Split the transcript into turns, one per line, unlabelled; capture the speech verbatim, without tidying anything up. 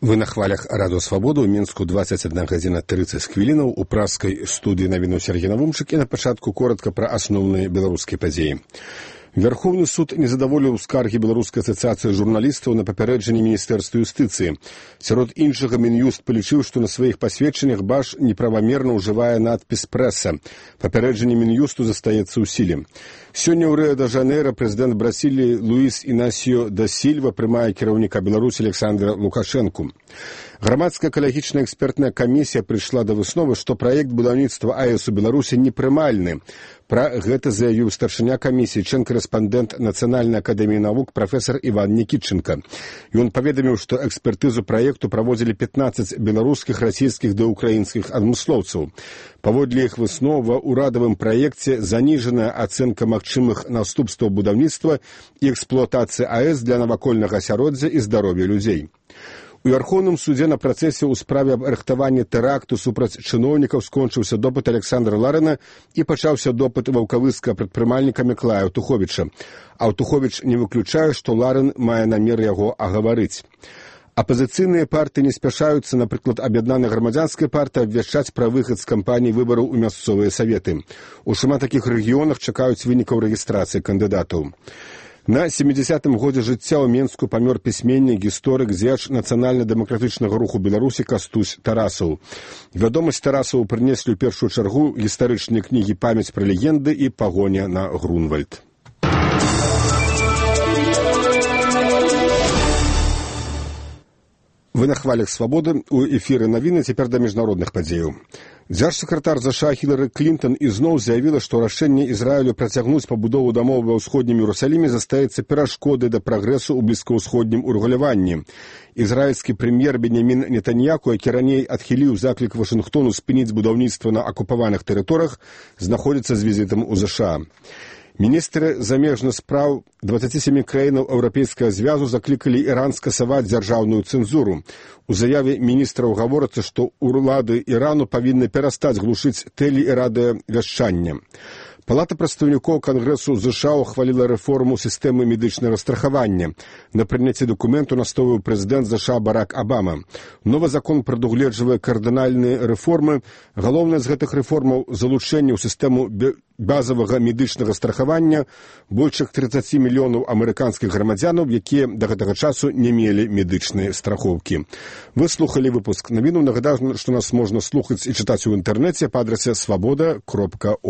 Вы на хвалях Радыё Свабода. У Мінску двадцать одна гадзіна тридцать хвілінаў. У праскай студыі навіну Сергей Навумчык. І на пачатку коротка пра асноўныя беларускія падзеі. Верховны суд не задаволіў скаргі Беларускай асацыяцыі журналістаў на папярэджанне Міністэрства юстыцыі. Сярод іншага Мін'юст палічыў, што на сваіх пасведчаннях Баш неправамерна ўжывае надпіс «Прэса». Папярэджанне Мін'юсту застаецца ў сіле. Сёння ў Рыа-де-Жанейра прэзідэнт Бразіліі Луіс Інасіо да Сільва прымае кіраўніка Беларусі Александра Лукашэнку. Грамадская экалагічная экспертная камісія прыйшла да высновы, што праект будаўніцтва АЭС у Беларусі непрымальны. Пра гэта заявіў старшыня камісіі, член-карэспандэнт Нацыянальнай акадэміі навук прафесар Іван Нікітченка. Ён паведаміў, што экспертызу праекту праводзілі пятнаццаць беларускіх, расійскіх ды ўкраінскіх адмыслоўцаў. Паводле іх выснов ва ўрадавым праекце заніжаная ацэнка магчымых наступстваў будаўніцтва і эксплуатацыі АЭС для навакольнага асяроддзя і здароўя людзей. У Верховным судзе на працэсе ў справе аб рыхтаванні тэракту супраць чыноўнікаў скончыўся допыт Александра Ларына і пачаўся допыт ваўкавыска прадпрымальніка Міклая Аўтуховіча. Аўтуховіч не выключае, што Ларын мае намер яго агаварыць. Апазіцыйныя партыі не спяшаюцца, напрыклад, аб'яднаная грамадзянская партыя, абвяшчаць пра выхад з кампаніі выбараў у мясцовыя саветы. У шмат такіх рэгіёнах чакаюць вынікаў рэгістрацыі кандыдатаў. На сямідзясятым годзе жыцця ў Менску памёр пісьменнік, гісторык, дзеяч нацыянальна-дэмакратычнага руху Беларусі Кастусь Тарасаў. Вядомасць Тарасаву прынеслі ў першую чаргу гістарычныя кнігі «Памяць пра легенды» і «Пагоня на Грунвальд». Вы на хвалях Свабоды. У эфіры навіны, цяпер да міжнародных падзеяў. Дзяржсакратар ЗША Хілары Клінтон ізноў заявіла, што рашэнне Ізраілю працягнуць пабудову дамоў ва ўсходнім Іерусаліме застаецца перашкодай да прагрэсу ў блізкаўсходнім урэгуляванні. Ізраільскі прэм'ер Беньямін Нетаньяху, які раней адхіліў заклік Вашынгтону спыніць будаўніцтва на акупаваных тэрыторыях, знаходзіцца з візітам у ЗША. Міністры замежных спраў дваццаці сямі краінаў Еўрапейскага звязу заклікалі Іран скасаваць дзяржаўную цэнзуру. У заяве міністраў гаворыцца, што ўлады Ірану павінны перастаць глушыць тэле- і радыёвяшчанне. Палата прадстаўнікоў Кангрэсу ЗША ухваліла рэформу сістэмы медычнага страхавання. На прыняцці дакументу настойваў прэзідэнт ЗША Барак Абама. Новы закон прадугледжвае кардынальныя рэформы. Галоўнае з гэтых рэформаў залучэнне ў сістэму базавага медычнага страхавання больш тридцать мільёнаў амерыканскіх грамадзянаў, якія да гэтага часу не мелі медычныя страхоўкі. Вы слухалі выпуск навіну. Нагадаю, што нас можна слухаць і чытаць у інтэрнэце па адрасе свабода кропка орг.